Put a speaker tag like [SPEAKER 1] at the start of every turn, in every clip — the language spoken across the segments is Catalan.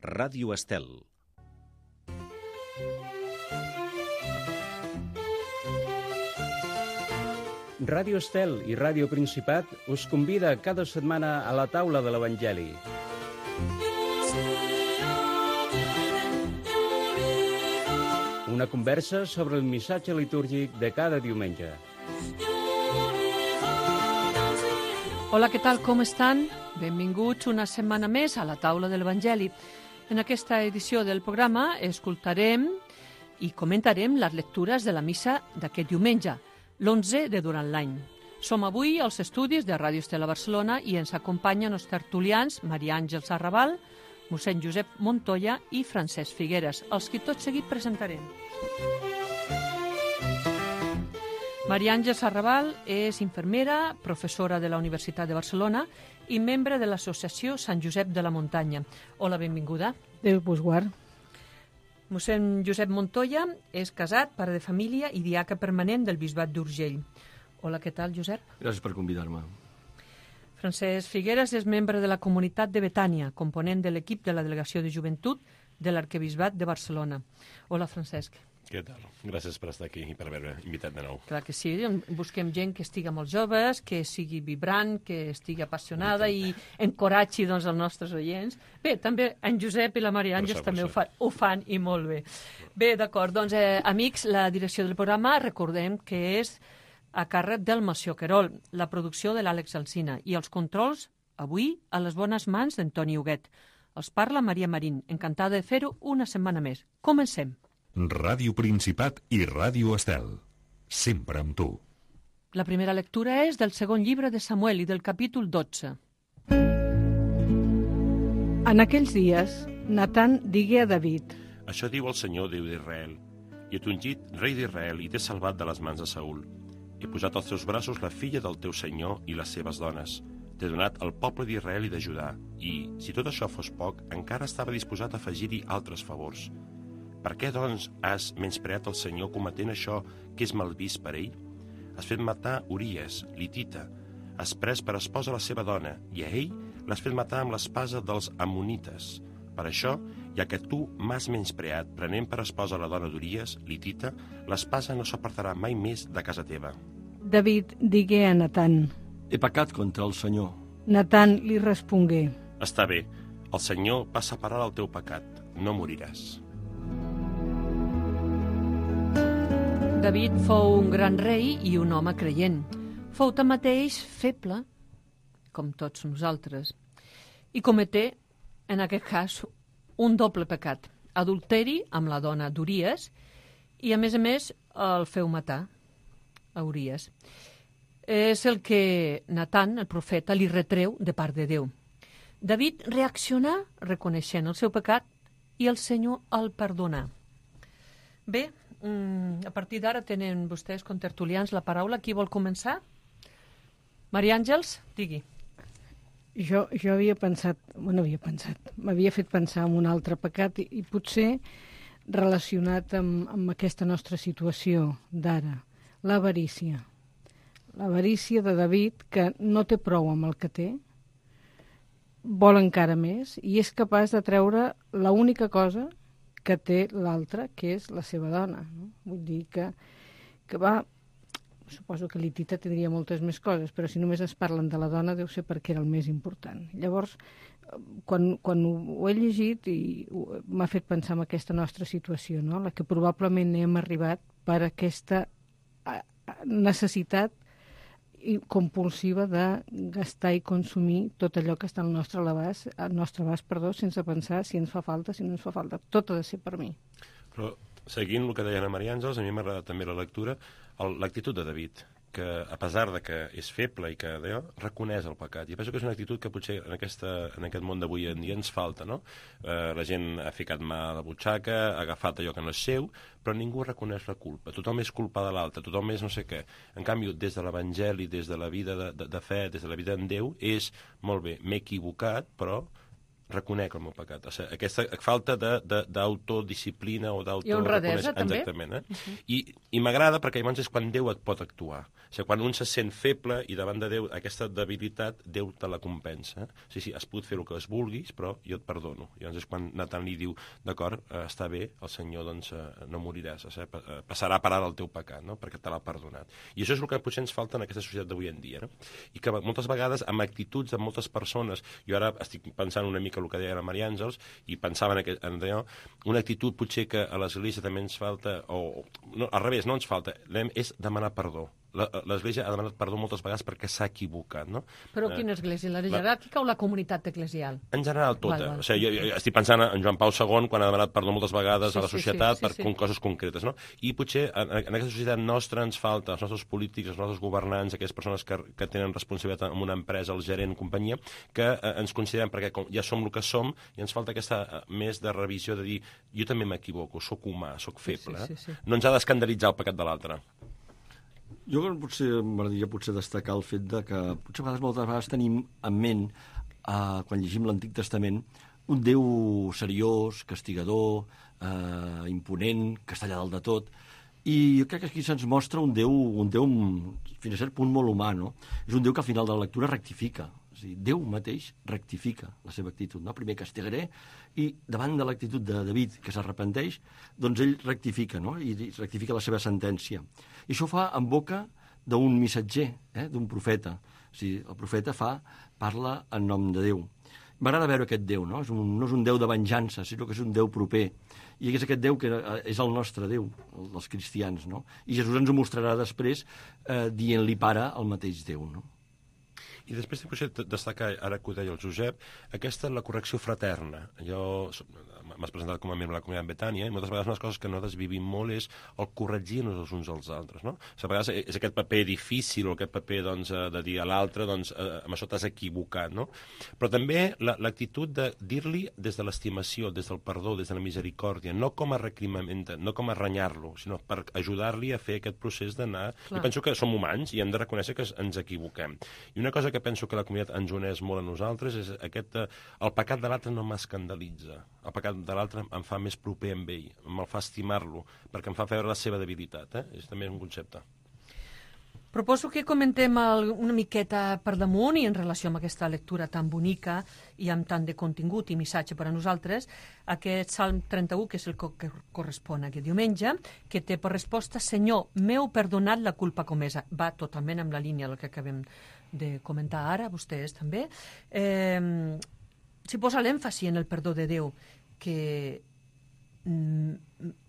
[SPEAKER 1] Ràdio Estel. Ràdio Estel i Ràdio Principat us convida cada setmana a la taula de l'Evangeli. Una conversa sobre el missatge litúrgic de cada diumenge.
[SPEAKER 2] Hola, què tal? Com estan? Benvinguts una setmana més a la taula de l'Evangeli. En aquesta edició del programa escoltarem i comentarem les lectures de la missa d'aquest diumenge, l'11 de durant l'any. Som avui als estudis de Ràdio Estel a Barcelona i ens acompanyen els tertulians Maria Àngels Arrabal, mossèn Josep Montoya i Francesc Figueres, els que tot seguit presentarem. Maria Àngels Arrabal és infermera, professora de la Universitat de Barcelona i membre de l'associació Sant Josep de la Muntanya. Hola, benvinguda.
[SPEAKER 3] Déu vos guard.
[SPEAKER 2] Mossèn Josep Montoya és casat, pare de família i diaca permanent del Bisbat d'Urgell. Hola, què tal, Josep?
[SPEAKER 4] Gràcies per convidar-me.
[SPEAKER 2] Francesc Figueres és membre de la comunitat de Betània, component de l'equip de la Delegació de Joventut de l'Arquebisbat de Barcelona. Hola, Francesc.
[SPEAKER 5] Què tal? Gràcies per estar aquí i per haver-me invitat de nou.
[SPEAKER 2] Clar que sí, busquem gent que estigui molt joves, que sigui vibrant, que estigui apassionada i encoratgi els nostres oients. Bé, també en Josep i la Maria Àngels també ho fan i molt bé. Bé, d'acord, doncs, amics, la direcció del programa recordem que és a càrrec del Mació Querol, la producció de l'Àlex Alsina i els controls, avui, a les bones mans d'Antoni Huguet. Els parla Maria Marín, encantada de fer-ho una setmana més. Comencem.
[SPEAKER 6] Ràdio Principat i Ràdio Estel. Sempre amb tu.
[SPEAKER 2] La primera lectura és del segon llibre de Samuel i del capítol 12.
[SPEAKER 3] En aquells dies, Natan digué a David:
[SPEAKER 5] Això diu el Senyor, Déu d'Israel. I t'he ungit rei d'Israel i t'he salvat de les mans de Saül. He posat als teus braços la filla del teu senyor i les seves dones. T'he donat el poble d'Israel i de Judà. I, si tot això fos poc, encara estava disposat a afegir-hi altres favors. Per què, doncs, has menyspreat el Senyor cometent això que és mal vist per ell? Has fet matar Uries, l'Hitita. Has pres per esposa la seva dona, i a ell l'has fet matar amb l'espasa dels Ammonites. Per això, ja que tu m'has menyspreat prenent per esposa la dona d'Uries, l'Hitita, l'espasa no s'apartarà mai més de casa teva.
[SPEAKER 3] David digué a Natan.
[SPEAKER 4] He pecat contra el Senyor.
[SPEAKER 3] Natan li respongué:
[SPEAKER 5] Està bé, el Senyor va separar el teu pecat, no moriràs.
[SPEAKER 2] David fou un gran rei i un home creient. Fou tanmateix feble, com tots nosaltres, i cometé, en aquest cas, un doble pecat. Adulteri amb la dona d'Uries i, a més, el feu matar a Uries. És el que Natan, el profeta, li retreu de part de Déu. David reaccionà reconeixent el seu pecat i el Senyor el perdonà. Bé, a partir d'ara tenen vostès, contertulians, la paraula. Qui vol començar? Maria Àngels, digui.
[SPEAKER 3] Jo m'havia fet pensar en un altre pecat i potser relacionat amb aquesta nostra situació d'ara, l'avarícia. L'avarícia de David, que no té prou amb el que té, vol encara més i és capaç de treure l'única cosa que té l'altre, que és la seva dona. No? Vull dir que va... Suposo que l'Hitita tindria moltes més coses, però si només es parlen de la dona deu ser perquè era el més important. Llavors, quan ho he llegit i m'ha fet pensar en aquesta nostra situació, no? La que probablement hem arribat per aquesta necessitat compulsiva de gastar i consumir tot allò que està al nostre abast, sense pensar si ens fa falta, si no ens fa falta. Tot ha de ser per mi.
[SPEAKER 5] Però, seguint el que deia la Maria Àngels, a mi m'agrada també la lectura, l'actitud de David, que a pesar de que és feble i que reconeix el pecat. I penso que és una actitud que potser en aquest món d'avui en dia ens falta, no? La gent ha ficat mà a la butxaca, ha agafat allò que no és seu, però ningú reconeix la culpa. Tothom és culpa de l'altre, tothom és no sé què. En canvi, des de l'Evangeli, des de la vida de fe, des de la vida en Déu, és, molt bé, m'he equivocat, però reconec el meu pecat. O sigui, aquesta falta d'autodisciplina o
[SPEAKER 2] I honradesa, també.
[SPEAKER 5] Exactament. I m'agrada perquè llavors és quan Déu et pot actuar. O sigui, quan un se sent feble i davant de Déu aquesta debilitat, Déu te la compensa. Sí, has pogut fer el que es vulguis, però jo et perdono. I llavors és quan Nathan li diu, d'acord, està bé, el Senyor doncs, no moriràs, passarà a parar del teu pecat, no? Perquè te l'ha perdonat. I això és el que potser ens falta en aquesta societat d'avui en dia, no? I que moltes vegades amb actituds de moltes persones, jo ara estic pensant una mica el que deia la Maria Àngels i pensava en allò, una actitud potser que a l'Església també ens falta, o no, al revés, no ens falta, és demanar perdó. L'Església ha demanat perdó moltes vegades perquè s'ha equivocat, no?
[SPEAKER 2] Però quina església? La jeràrquica o la comunitat eclesial?
[SPEAKER 5] En general, tota.
[SPEAKER 2] Val.
[SPEAKER 5] O sigui, jo estic pensant en Joan Pau II, quan ha demanat perdó moltes vegades a la societat per coses concretes, no? I potser en aquesta societat nostra ens falta, els nostres polítics, els nostres governants, aquelles persones que tenen responsabilitat en una empresa, el gerent, companyia, que ens considerem, perquè ja som el que som, i ens falta aquesta més de revisió de dir, jo també m'equivoco, sóc humà, sóc feble. No ens ha d'escandalitzar el pecat de l'altre.
[SPEAKER 4] Jo m'agradaria destacar el fet de que potser moltes vegades tenim en ment, quan llegim l'Antic Testament, un Déu seriós, castigador, imponent, que està allà dalt de tot. I jo crec que aquí se'ns mostra un Déu fins a cert punt molt humà, no? És un Déu que al final de la lectura rectifica. És a dir, Déu mateix rectifica la seva actitud, no? Primer castigaré, i davant de l'actitud de David, que s'arrepenteix, doncs ell rectifica, no? I rectifica la seva sentència. I això ho fa en boca d'un missatger, d'un profeta. O sigui, el profeta parla en nom de Déu. M'agrada veure aquest Déu, no? No és un Déu de venjança, sinó que és un Déu proper. I és aquest Déu que és el nostre Déu, el dels cristians, no? I Jesús ens ho mostrarà després dient-li pare al mateix Déu, no?
[SPEAKER 5] I després potser destacar, ara que ho deia el Josep, aquesta és la correcció fraterna. M'has presentat com a membre de la comunitat Betània, i moltes vegades una de les coses que nosaltres vivim molt és el corregir-nos els uns als altres, no? A vegades és aquest paper difícil, o aquest paper de dir a l'altre, amb això t'has equivocat, no? Però també l'actitud de dir-li des de l'estimació, des del perdó, des de la misericòrdia, no com a recrimament, no com a renyar-lo, sinó per ajudar-li a fer aquest procés d'anar... Jo penso que som humans i hem de reconèixer que ens equivoquem. I una cosa que penso que la comunitat ens uneix molt a nosaltres és el pecat de l'altre no m'escandalitza. El pecat de l'altre em fa més proper amb ell, me'l fa estimar-lo, perquè em fa veure la seva debilitat. És també un concepte.
[SPEAKER 2] Proposo que comentem una miqueta per damunt i en relació amb aquesta lectura tan bonica i amb tant de contingut i missatge per a nosaltres, aquest Salm 31, que és el que correspon a aquest diumenge, que té per resposta: Senyor, m'heu perdonat la culpa comesa. Va totalment amb la línia del que acabem de comentar ara, vostès també. S'hi posa l'èmfasi en el perdó de Déu, que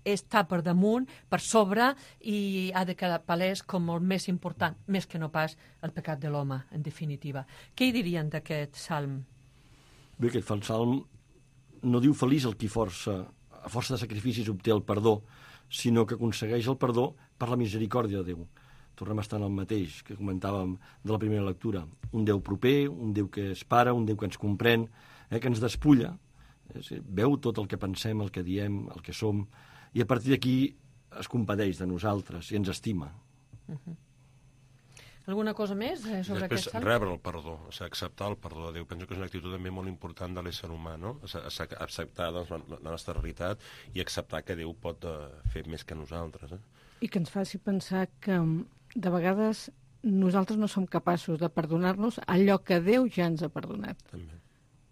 [SPEAKER 2] està per damunt, per sobre, i ha de quedar palès com el més important, més que no pas el pecat de l'home, en definitiva. Què hi dirien d'aquest salm?
[SPEAKER 4] Bé, aquest salm no diu feliç el qui a força de sacrificis obté el perdó, sinó que aconsegueix el perdó per la misericòrdia de Déu. Tornem a estar en el mateix que comentàvem de la primera lectura. Un Déu proper, un Déu que és pare, un Déu que ens comprèn, que ens despulla, veu tot el que pensem, el que diem, el que som, i a partir d'aquí es compadeix de nosaltres i ens estima.
[SPEAKER 2] Alguna cosa més sobre aquest salm?
[SPEAKER 5] Rebre el perdó, acceptar el perdó de Déu. Penso que és una actitud també molt important de l'ésser humà, no? Acceptar la nostra realitat i acceptar que Déu pot fer més que nosaltres.
[SPEAKER 3] I que ens faci pensar que de vegades nosaltres no som capaços de perdonar-nos allò que Déu ja ens ha perdonat.
[SPEAKER 5] També.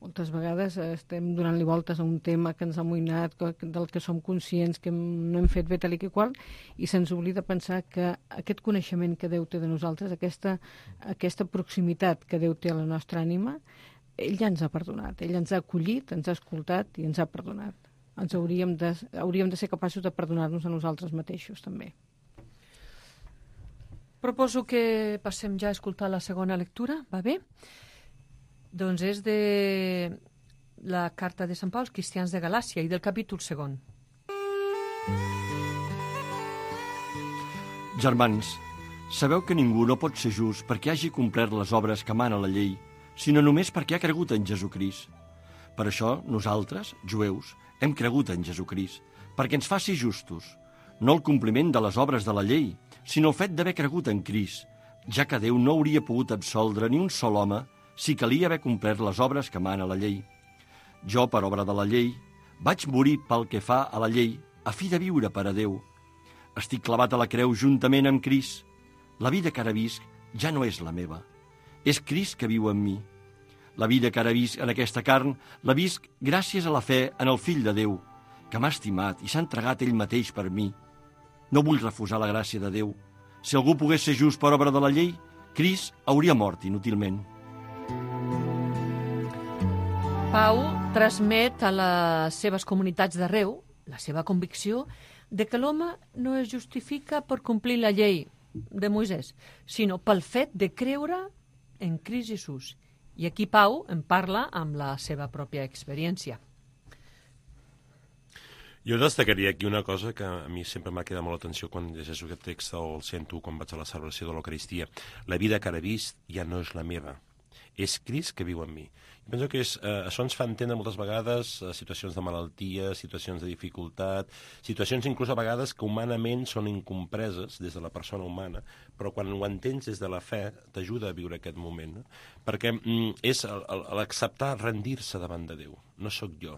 [SPEAKER 3] Moltes vegades estem donant-li voltes a un tema que ens ha amoïnat, del que som conscients que no hem fet bé tal i que qual, i se'ns oblida pensar que aquest coneixement que Déu té de nosaltres, aquesta proximitat que Déu té a la nostra ànima, ell ja ens ha perdonat, ell ens ha acollit, ens ha escoltat i ens ha perdonat. Hauríem de ser capaços de perdonar-nos a nosaltres mateixos, també.
[SPEAKER 2] Proposo que passem ja a escoltar la segona lectura, va bé? Doncs és de la carta de Sant Pau als cristians de Galàcia i del capítol 2.
[SPEAKER 4] Germans, sabeu que ningú no pot ser just perquè hagi complert les obres que mana la llei, sinó només perquè ha cregut en Jesucrist. Per això, nosaltres, jueus, hem cregut en Jesucrist, perquè ens faci justos, no el compliment de les obres de la llei, sinó el fet d'haver cregut en Crist, ja que Déu no hauria pogut absoldre ni un sol home si calia haver complert les obres que mana la llei. Jo, per obra de la llei, vaig morir pel que fa a la llei, a fi de viure per a Déu. Estic clavat a la creu juntament amb Crist. La vida que ara visc ja no és la meva. És Crist que viu en mi. La vida que ara visc en aquesta carn la visc gràcies a la fe en el Fill de Déu, que m'ha estimat i s'ha entregat ell mateix per mi. No vull refusar la gràcia de Déu. Si algú pogués ser just per obra de la llei, Crist hauria mort inútilment.
[SPEAKER 2] Pau transmet a les seves comunitats d'arreu la seva convicció de que l'home no es justifica per complir la llei de Moisès, sinó pel fet de creure en Crist Jesús. I aquí Pau en parla amb la seva pròpia experiència.
[SPEAKER 5] Jo destacaria aquí una cosa que a mi sempre m'ha quedat molt l'atenció quan llegeixo aquest text o el sento quan vaig a la celebració de l'Eucaristia. La vida que ara vist ja no és la meva. És Crist que viu en mi. I penso que això ens fa entendre moltes vegades situacions de malaltia, situacions de dificultat, situacions inclús a vegades que humanament són incompreses des de la persona humana, però quan ho entens des de la fe t'ajuda a viure aquest moment, no? Perquè és l'acceptar rendir-se davant de Déu. No sóc jo.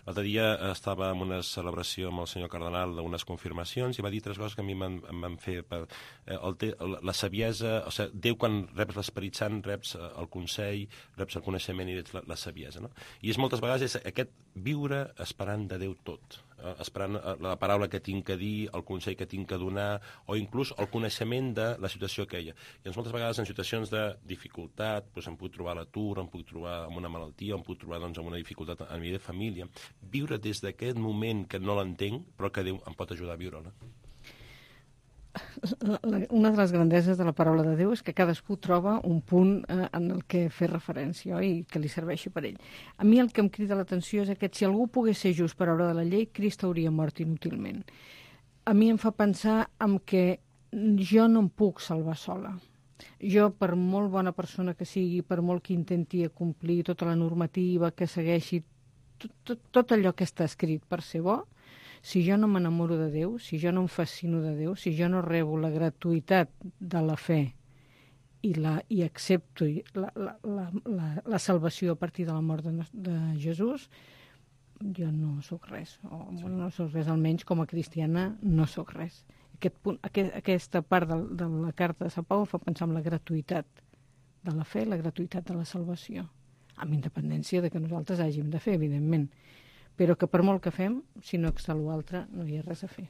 [SPEAKER 5] L'altre dia estava en una celebració amb el senyor cardenal d'unes confirmacions i va dir 3 coses que a mi em van fer la saviesa, o sigui, Déu quan reps l'Esperit Sant reps el consell, reps el coneixement i reps la saviesa, no? I moltes vegades és aquest viure esperant de Déu tot, esperant la paraula que tinc a dir, el consell que tinc a donar o inclús el coneixement de la situació aquella. I moltes vegades en situacions de dificultat em puc trobar a l'atur, em puc trobar amb una malaltia, em puc trobar amb una dificultat a nivell de família, viure des d'aquest moment que no l'entenc, però que Déu em pot ajudar a viure-la.
[SPEAKER 3] Una de les grandeses de la paraula de Déu és que cadascú troba un punt en el que fer referència i que li serveixi per ell. A mi el que em crida l'atenció és que si algú pogués ser just per obra de la llei, Crist hauria mort inútilment. A mi em fa pensar en que jo no em puc salvar sola. Jo, per molt bona persona que sigui, per molt que intenti complir tota la normativa, que segueixi tot allò que està escrit per ser bo, si jo no m'enamoro de Déu, si jo no em fascino de Déu, si jo no rebo la gratuïtat de la fe i accepto la salvació a partir de la mort de Jesús, jo no sóc res. No sóc res, almenys com a cristiana no sóc res. Aquesta part de la carta de Sant Pau fa pensar en la gratuïtat de la fe, la gratuïtat de la salvació, amb independència de que nosaltres hàgim de fer, evidentment, però que per molt que fem, si no excel l'altre, no hi ha res a fer.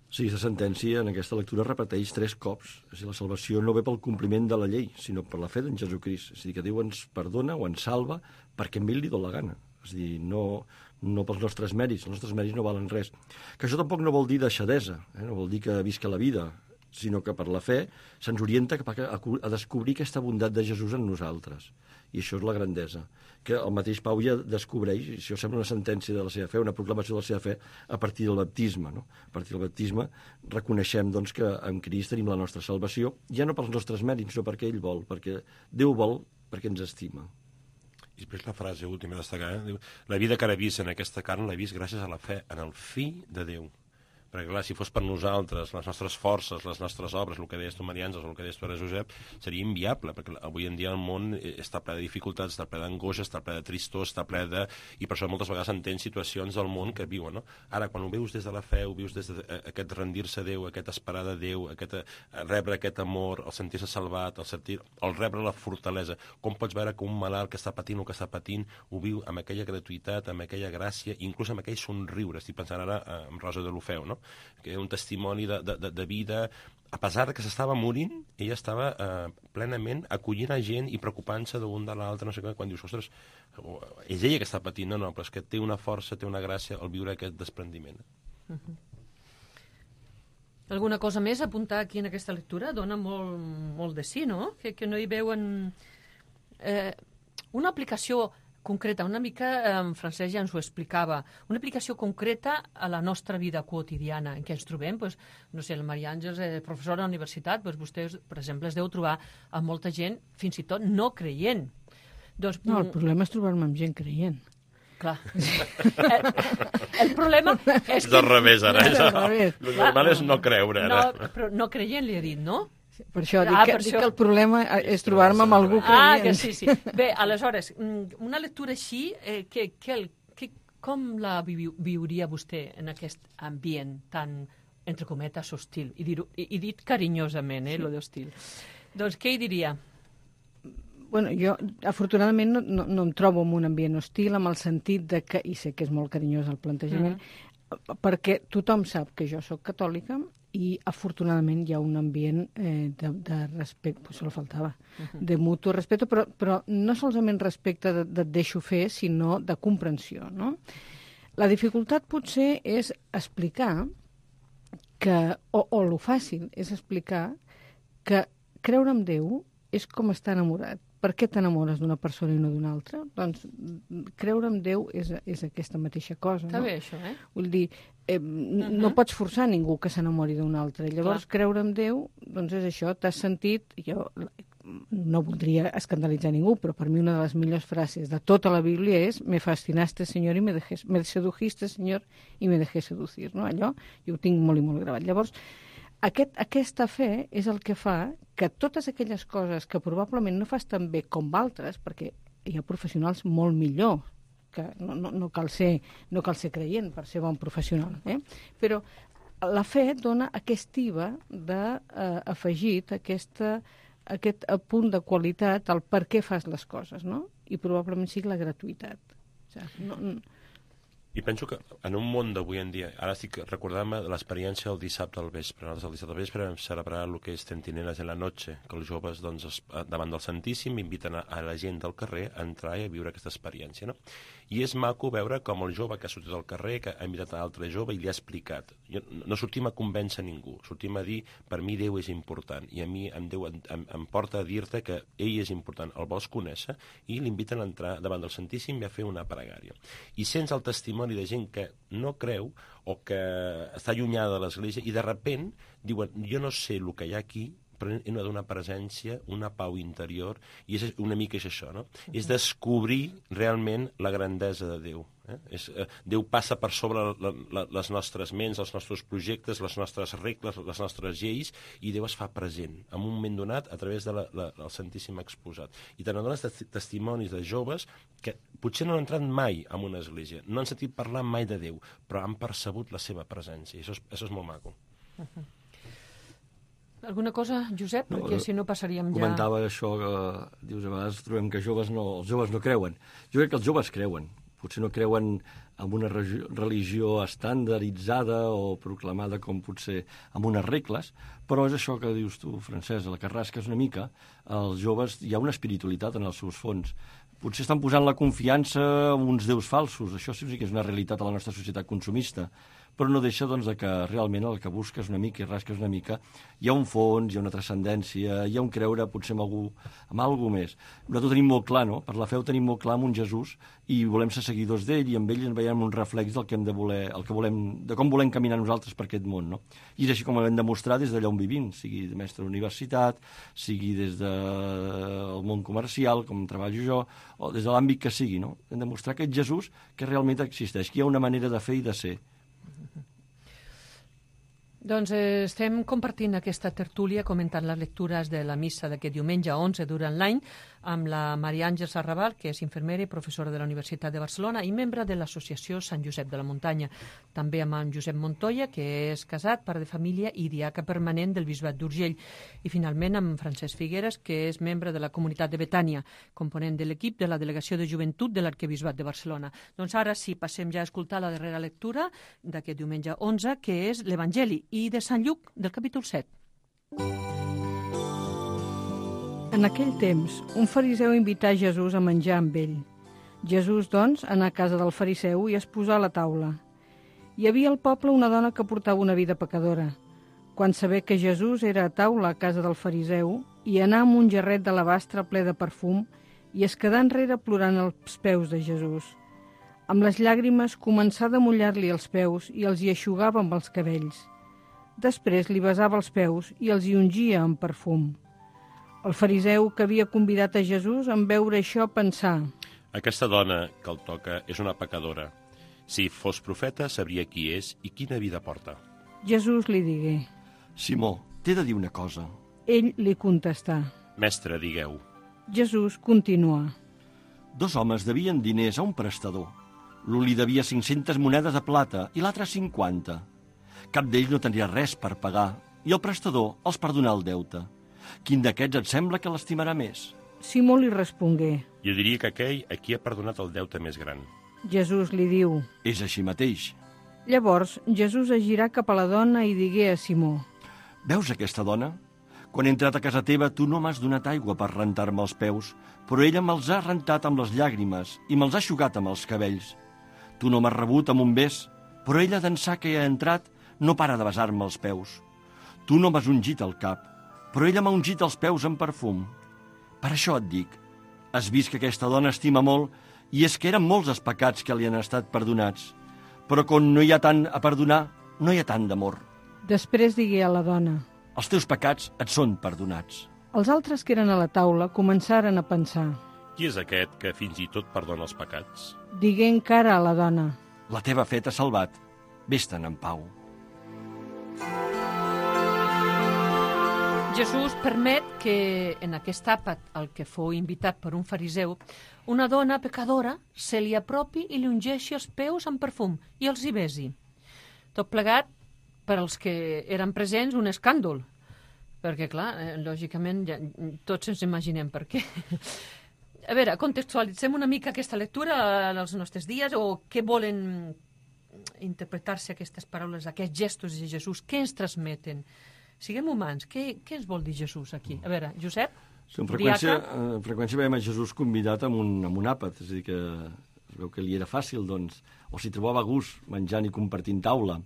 [SPEAKER 4] Sí, aquesta sentència en aquesta lectura repeteix 3 cops. És a dir, la salvació no ve pel compliment de la llei, sinó per la fe d'en Jesucrist. És a dir, que Déu ens perdona o ens salva perquè a ell li dona la gana. És a dir, no pels nostres mèrits. Els nostres mèrits no valen res. Que això tampoc no vol dir deixadesa, no vol dir que visca la vida, sinó que per la fe se'ns orienta a descobrir aquesta bondat de Jesús en nosaltres. I això és la grandesa, que el mateix Pau ja descobreix, i això sembla una sentència de la seva fe, una proclamació de la seva fe a partir del baptisme. No? A partir del baptisme reconeixem doncs, que en Crist tenim la nostra salvació, ja no pels nostres mèrits, sinó perquè ell vol, perquè Déu vol, perquè ens estima.
[SPEAKER 5] I després la frase última a destacar, diu, la vida que ara vist en aquesta carn l'he vist gràcies a la fe en el Fill de Déu. Perquè, clar, si fos per nosaltres, les nostres forces, les nostres obres, el que deies tu, Maria Àngels, o el que deies tu, Josep, seria inviable, perquè avui en dia el món està ple de dificultats, està ple d'angoixa, està ple de tristor, està ple de... I per això moltes vegades entens situacions del món que viuen, no? Ara, quan ho veus des de la fe, ho vius des d'aquest rendir-se a Déu, aquest esperar de Déu, rebre aquest amor, el sentir-se salvat, el rebre la fortalesa, com pots veure que un malalt que està patint o que està patint ho viu amb aquella gratuïtat, amb aquella gràcia, inclús amb aquell somriure. Estic pensant ara en Rosa de l'Ofeu, no? Que és un testimoni de vida, a pesar de que s'estava morint, ella estava plenament acollint a gent i preocupant-se d'un de l'altre, no sé què, quan dius, ostres, és ella que està patint, no, però és que té una força, té una gràcia al viure aquest desprendiment.
[SPEAKER 2] Alguna cosa més a apuntar aquí en aquesta lectura? Dona molt de sí, no? Que no hi veuen una aplicació concreta, una mica, en Francesc ja ens ho explicava, una aplicació concreta a la nostra vida quotidiana en què ens trobem, no sé, la Maria Àngels, professora a la universitat, vostès, per exemple, es deu trobar amb molta gent, fins i tot no creient.
[SPEAKER 3] No, el problema és trobar-me amb gent creient.
[SPEAKER 2] Clar. El problema és que...
[SPEAKER 5] És al revés, ara. El normal és no creure, ara.
[SPEAKER 2] No, però no creient li he dit, no?
[SPEAKER 3] Per això dic que el problema és trobar-me amb algú creient.
[SPEAKER 2] Que sí. Bé, aleshores, una lectura així, Com la viuria vostè en aquest ambient tan, entre cometes, hostil? I dit carinyosament, lo d'hostil. Doncs què hi diria?
[SPEAKER 3] Bueno, jo, afortunadament, no em trobo en un ambient hostil, amb el sentit de que, i sé que és molt carinyós el plantejament, perquè tothom sap que jo sóc catòlica i, afortunadament, hi ha un ambient de respecte, pues solo faltava, de mutu respecte, però no solament respecte de et deixo fer, sinó de comprensió, no? La dificultat potser és explicar que, o lo fàcil és explicar que creure en Déu és com estar enamorat. Per què t'enamores d'una persona i no d'una altra? Doncs creure en Déu és aquesta mateixa cosa.
[SPEAKER 2] Està bé, això,
[SPEAKER 3] Vull dir, no pots forçar ningú que s'enamori d'un altre. Llavors, creure en Déu, doncs és això, t'has sentit... Jo no voldria escandalitzar ningú, però per mi una de les millors frases de tota la Bíblia és me fascinaste, Señor, i me sedujiste, Señor, i me dejé seducir. No? Allò jo ho tinc molt i molt gravat. Llavors, aquesta fe és el que fa que totes aquelles coses que probablement no fas tan bé com altres, perquè hi ha professionals molt millors, que no cal ser creient per ser bon professional, però la fe dona aquest IVA d'afegit, aquest punt de qualitat al per què fas les coses, no? I probablement sigui la gratuïtat. O sigui,
[SPEAKER 5] I penso que en un món d'avui en dia, ara estic recordant-me de l'experiència del dissabte al vespre. Nosaltres el dissabte al vespre vam celebrar el que és Centinelas en la Noche, que els joves, doncs, davant del Santíssim, inviten a la gent del carrer a entrar i a viure aquesta experiència, no? I és maco veure com el jove que ha sortit al carrer, que ha invitat a l'altre jove i li ha explicat. No sortim a convèncer ningú, sortim a dir, per mi Déu és important, i a mi Déu em porta a dir-te que ell és important, el vols conèixer, i l'inviten a entrar davant del Santíssim i a fer una pregària. I sents el testimoni de gent que no creu o que està allunyada de l'Església i de repent diuen, jo no sé el que hi ha aquí, però he d'una presència, una pau interior, i és una mica és això, no? És descobrir realment la grandesa de Déu. Déu passa per sobre les nostres ments, els nostres projectes, les nostres regles, les nostres lleis, i Déu es fa present en un moment donat a través del Santíssim exposat. I te n'adones testimonis de joves que potser no han entrat mai en una església, no han sentit parlar mai de Déu, però han percebut la seva presència, i això és molt maco.
[SPEAKER 2] Alguna cosa, Josep? Perquè si no passaríem ja...
[SPEAKER 4] Comentava això que dius, a vegades trobem que els joves no creuen. Jo crec que els joves creuen. Potser no creuen en una religió estandarditzada o proclamada com potser amb unes regles, però és això que dius tu, Francesc, la que rasques una mica. Els joves, hi ha una espiritualitat en els seus fons. Potser estan posant la confiança en uns déus falsos. Això sí que és una realitat a la nostra societat consumista. Però no deixa doncs, que realment el que busques una mica i rasques una mica, hi ha un fons, hi ha una transcendència, hi ha un creure potser en algú més. Nosaltres tenim molt clar, no? Per la fe ho tenim molt clar amb un Jesús i volem ser seguidors d'ell i amb ell ens veiem un reflex del que hem de voler, de com volem caminar nosaltres per aquest món, no? I és així com ho hem de mostrar des d'allà on vivim, sigui de mestre d'universitat, sigui des del món comercial, com treballo jo, o des de l'àmbit que sigui, no? Hem de mostrar aquest Jesús que realment existeix, que hi ha una manera de fer i de ser.
[SPEAKER 2] Doncs estem compartint aquesta tertúlia comentant les lectures de la missa d'aquest diumenge 11 durant l'any amb la Maria Àngels Arrabal, que és infermera i professora de la Universitat de Barcelona i membre de l'associació Sant Josep de la Muntanya. També amb en Josep Montoya, que és casat, pare de família i diaca permanent del Bisbat d'Urgell. I finalment amb Francesc Figueres, que és membre de la comunitat de Betània, component de l'equip de la Delegació de Joventut de l'Arquebisbat de Barcelona. Doncs ara sí, passem ja a escoltar la darrera lectura d'aquest diumenge 11, que és l'Evangeli i de Sant Lluc, del capítol 7.
[SPEAKER 3] En aquell temps, un fariseu invità Jesús a menjar amb ell. Jesús, doncs, anà a casa del fariseu i es posà a la taula. Hi havia al poble una dona que portava una vida pecadora. Quan sabé que Jesús era a taula a casa del fariseu, hi anà amb un jarret d'alabastre ple de perfum i es quedà enrere plorant als peus de Jesús. Amb les llàgrimes començà a mullar-li els peus i els hi eixugava amb els cabells. Després li besava els peus i els hi ungia amb perfum. El fariseu que havia convidat a Jesús, en veure això, pensà:
[SPEAKER 5] aquesta dona que el toca és una pecadora. Si fos profeta, sabria qui és i quina vida porta.
[SPEAKER 3] Jesús li digué:
[SPEAKER 4] Simó, t'he de dir una cosa.
[SPEAKER 3] Ell li contestà:
[SPEAKER 5] Mestre, digueu.
[SPEAKER 3] Jesús continuà:
[SPEAKER 4] 2 homes devien diners a un prestador. L'un li devia 500 monedes de plata i l'altre 50. Cap d'ells no tenia res per pagar i el prestador els perdonà el deute. Quin d'aquests et sembla que l'estimarà més?
[SPEAKER 3] Simó li respongué.
[SPEAKER 5] Jo diria que aquell a qui ha perdonat el deute més gran.
[SPEAKER 3] Jesús li diu.
[SPEAKER 4] És així mateix.
[SPEAKER 3] Llavors Jesús es girà cap a la dona i digué a Simó.
[SPEAKER 4] Veus aquesta dona? Quan he entrat a casa teva tu no m'has donat aigua per rentar-me els peus, però ella me'ls ha rentat amb les llàgrimes i me'ls ha eixugat amb els cabells. Tu no m'has rebut amb un bes, però ella d'ençà que hi ha entrat no para de besar-me els peus. Tu no m'has ungit el cap, però ella m'ha ungit els peus amb perfum. Per això et dic, has vist que aquesta dona estima molt i és que eren molts els pecats que li han estat perdonats. Però quan no hi ha tant a perdonar, no hi ha tant d'amor.
[SPEAKER 3] Després digué a la dona.
[SPEAKER 4] Els teus pecats et són perdonats.
[SPEAKER 3] Els altres que eren a la taula començaren a pensar.
[SPEAKER 5] Qui és aquest que fins i tot perdona els pecats?
[SPEAKER 3] Digué encara a la dona.
[SPEAKER 4] La teva fe t'ha salvat. Vés-te'n en pau.
[SPEAKER 2] Jesús permet que en aquest àpat al que fou invitat per un fariseu, una dona pecadora se li apropi i li ungeixi els peus amb perfum i els hi besi. Tot plegat, per als que eren presents, un escàndol. Perquè, clar, lògicament, ja, tots ens imaginem per què. A veure, contextualitzem una mica aquesta lectura als nostres dies, o què volen interpretar-se aquestes paraules, aquests gestos de Jesús, què ens transmeten? Siguem humans, què ens vol dir Jesús aquí? A veure, Josep?
[SPEAKER 4] Sí, amb freqüència veiem a Jesús convidat amb un àpat, és a dir, que es veu que li era fàcil, doncs, o si trobava gust menjant i compartint taula.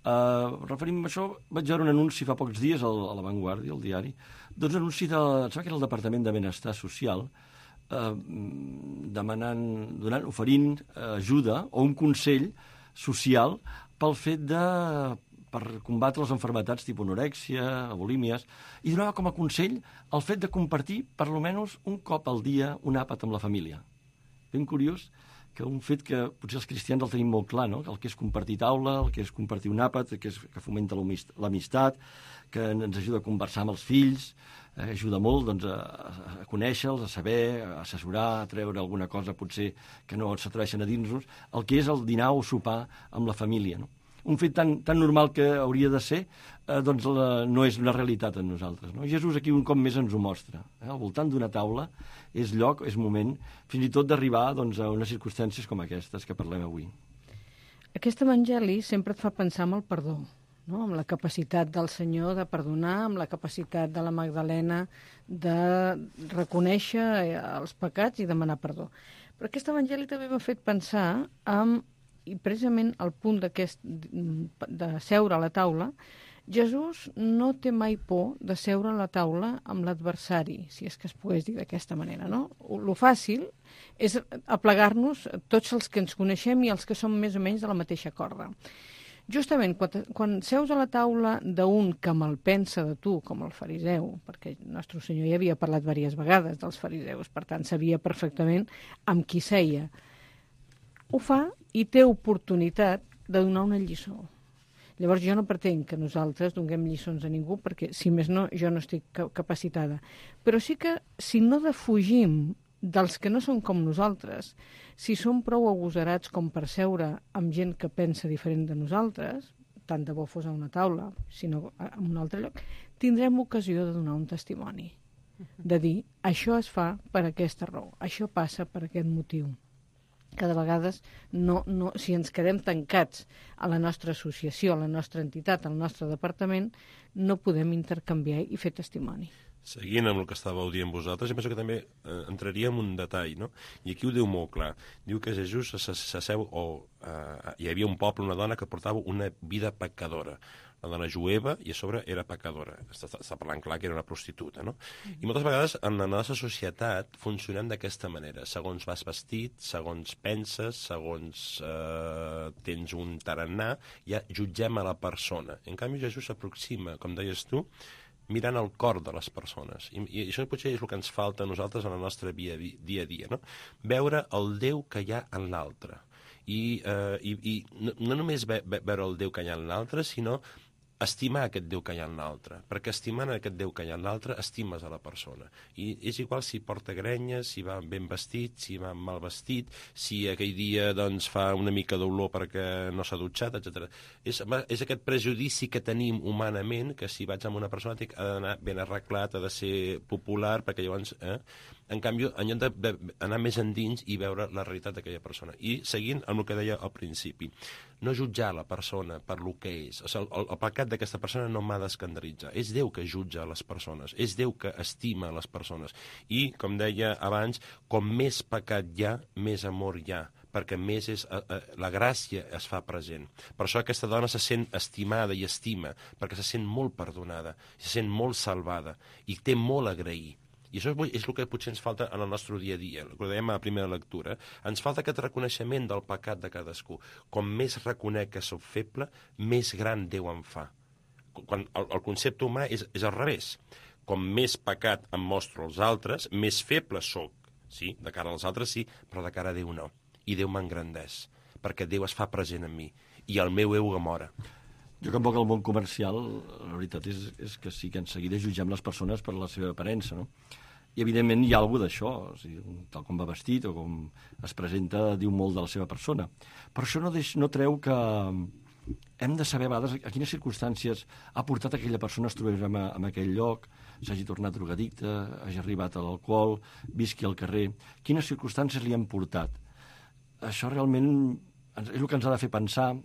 [SPEAKER 4] Referim a això, vaig veure un anunci fa pocs dies a La Vanguardia, al diari, doncs un anunci em sembla que era el Departament de Benestar Social, oferint ajuda o un consell social pel fet per combatre les malalties tipus anorèxia, bulímies, i donava com a consell el fet de compartir per almenys un cop al dia un àpat amb la família. Ben curiós, que un fet que potser els cristians el tenim molt clar, no? El que és compartir taula, el que és compartir un àpat, que fomenta l'amistat, que ens ajuda a conversar amb els fills, ajuda molt doncs, a conèixer-los, a saber, a assessorar, a treure alguna cosa potser que no s'atreveixen a dir-nos, el que és el dinar o sopar amb la família, no? Un fet tan normal que hauria de ser, doncs no és una realitat en nosaltres. No? Jesús aquí un cop més ens ho mostra. Al voltant d'una taula és lloc, és moment, fins i tot d'arribar doncs, a unes circumstàncies com aquestes que parlem avui.
[SPEAKER 3] Aquest evangeli sempre et fa pensar en el perdó, no? Amb la capacitat del Senyor de perdonar, amb la capacitat de la Magdalena de reconèixer els pecats i demanar perdó. Però aquest evangeli també m'ha fet pensar i precisament al punt de seure a la taula, Jesús no té mai por de seure a la taula amb l'adversari, si és que es pogués dir d'aquesta manera, no? Lo fàcil és aplegar-nos tots els que ens coneixem i els que som més o menys de la mateixa corda. Justament, quan seus a la taula d'un que malpensa de tu, com el fariseu, perquè el nostre Senyor ja havia parlat diverses vegades dels fariseus, per tant sabia perfectament amb qui seia, ho fa i té oportunitat de donar una lliçó. Llavors jo no pretenc que nosaltres donem lliçons a ningú perquè, si més no, jo no estic capacitada. Però sí que si no defugim dels que no són com nosaltres, si som prou agosarats com per seure amb gent que pensa diferent de nosaltres, tant de bo fos a una taula, sinó en un altre lloc, tindrem ocasió de donar un testimoni. De dir, això es fa per aquesta raó, això passa per aquest motiu. Que de vegades, si ens quedem tancats a la nostra associació, a la nostra entitat, al nostre departament, no podem intercanviar i fer testimoni.
[SPEAKER 5] Seguint amb el que estàveu dient vosaltres, jo penso que també entraria en un detall, no? I aquí ho diu molt clar. Diu que Jesús s'asseu, hi havia un poble, una dona que portava una vida pecadora. La dona jueva i a sobre era pecadora. Està parlant clar que era una prostituta, no? I moltes vegades en la nostra societat funcionem d'aquesta manera. Segons vas vestit, segons penses, segons tens un tarannà, ja jutgem a la persona. En canvi, Jesús s'aproxima, com deies tu, mirant el cor de les persones. I això potser és el que ens falta a nosaltres en el nostre dia a dia, no? Veure el Déu que hi ha en l'altre. I no només veure el Déu que hi ha en l'altre, sinó estimar aquest Déu que hi ha en l'altre, perquè estimant aquest Déu que hi ha en l'altre, estimes a la persona. I és igual si porta grenyes, si va ben vestit, si va mal vestit, si aquell dia doncs, fa una mica d'olor perquè no s'ha dutxat, etc. És aquest prejudici que tenim humanament, que si vaig amb una persona ha d'anar ben arreglat, ha de ser popular, perquè llavors... En canvi, en lloc d'anar més endins i veure la realitat d'aquella persona. I seguint amb el que deia al principi, no jutjar la persona per lo que és. O sigui, el pecat d'aquesta persona no m'ha d'escandalitzar. És Déu que jutja les persones, és Déu que estima les persones. I, com deia abans, com més pecat hi ha, més amor hi ha, perquè més la gràcia es fa present. Per això aquesta dona se sent estimada i estima, perquè se sent molt perdonada, se sent molt salvada i té molt a agrair. I això és el que potser ens falta en el nostre dia a dia, el que dèiem a la primera lectura. Ens falta aquest reconeixement del pecat de cadascú. Com més reconec que soc feble, més gran Déu em fa. Quan el concepte humà és al revés. Com més pecat em mostro als altres, més feble soc. Sí, de cara als altres sí, però de cara a Déu no. I Déu m'engrandeix, perquè Déu es fa present en mi. I el meu ego mora.
[SPEAKER 4] Jo que em voc al món comercial, la veritat és que sí que en seguida jutgem les persones per la seva aparença, no? I, evidentment, hi ha alguna d'això, o sigui, tal com va vestit o com es presenta, diu molt de la seva persona. Però això no treu que hem de saber a vegades a quines circumstàncies ha portat aquella persona a es trobar en aquell lloc, s'hagi tornat drogadicte, hagi arribat a l'alcohol, visqui al carrer, quines circumstàncies li han portat. Això realment és el que ens ha de fer pensar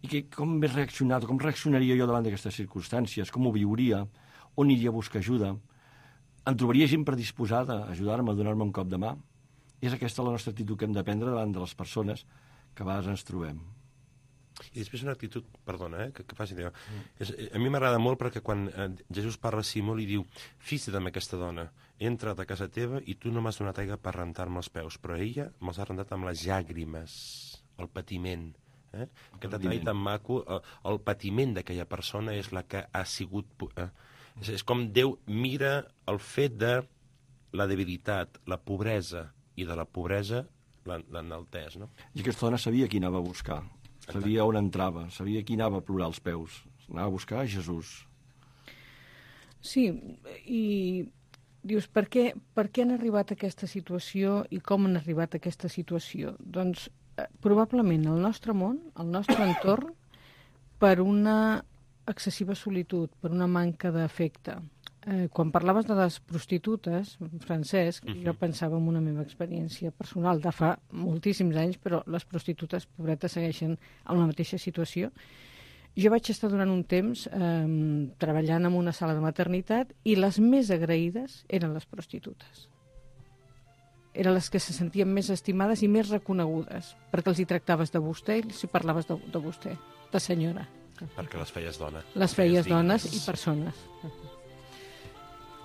[SPEAKER 4] i com m'he reaccionat, o com reaccionaria jo davant d'aquestes circumstàncies, com ho viuria, on iria a buscar ajuda. Em trobaria gent predisposada a ajudar-me, a donar-me un cop de mà? És aquesta la nostra actitud que hem de prendre davant de les persones que a vegades ens trobem.
[SPEAKER 5] I després una actitud, perdona, que faci allò. A mi m'agrada molt perquè quan Jesús parla a Simó li diu: fixa-te amb aquesta dona, he entrat a casa teva i tu no m'has donat aigua per rentar-me els peus, però ella me'ls ha rentat amb les llàgrimes, el patiment. Aquest detall tan maco, el patiment d'aquella persona és la que ha sigut... És com Déu mira el fet de la debilitat, la pobresa, i de la pobresa l'enalteix, no?
[SPEAKER 4] I aquesta dona sabia qui anava a buscar, sabia on entrava, sabia qui anava a plorar als peus, anava a buscar a Jesús.
[SPEAKER 3] Sí, i dius, per què han arribat a aquesta situació i com han arribat a aquesta situació? Doncs probablement el nostre món, el nostre entorn, per una excessiva solitud, per una manca d'afecte. Quan parlaves de les prostitutes, Francesc, jo pensava en una meva experiència personal de fa moltíssims anys, però les prostitutes, pobretes, segueixen en la mateixa situació. Jo vaig estar durant un temps treballant en una sala de maternitat i les més agraïdes eren les prostitutes. Eren les que se sentien més estimades i més reconegudes, perquè els hi tractaves de vostè i els hi parlaves de vostè, de senyora.
[SPEAKER 5] Perquè les feies dona.
[SPEAKER 3] Les feies dones i persones.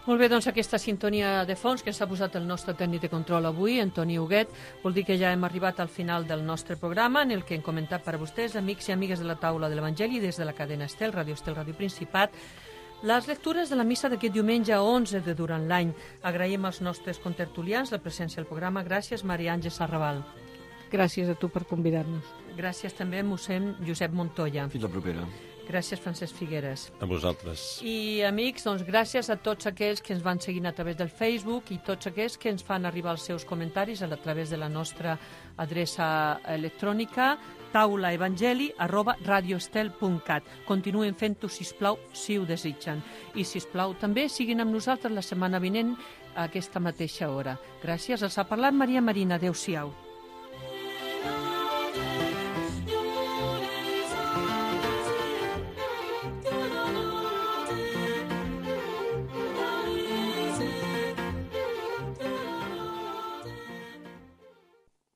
[SPEAKER 2] Molt bé, doncs aquesta sintonia de fons que ens ha posat el nostre tècnic de control avui, Antoni Huguet, vol dir que ja hem arribat al final del nostre programa, en el que hem comentat per a vostès, amics i amigues de la taula de l'Evangeli, des de la cadena Estel, Ràdio Principat, les lectures de la missa d'aquest diumenge 11 de durant l'any. Agraïm als nostres contertulians la presència al programa. Gràcies, Maria Àngels Arrabal.
[SPEAKER 3] Gràcies a tu per convidar-nos.
[SPEAKER 2] Gràcies també a mossèn Josep Montoya.
[SPEAKER 4] Fins la propera.
[SPEAKER 2] Gràcies, Francesc Figueres.
[SPEAKER 5] A vosaltres.
[SPEAKER 2] I, amics, doncs gràcies a tots aquells que ens van seguint a través del Facebook i tots aquells que ens fan arribar els seus comentaris a través de la nostra adreça electrònica taulaevangeli@radioestel.cat. Continuen fent-ho, sisplau, si ho desitgen. I, sisplau, també siguin amb nosaltres la setmana vinent a aquesta mateixa hora. Gràcies. Els ha parlat Maria Marina. Adéu-siau.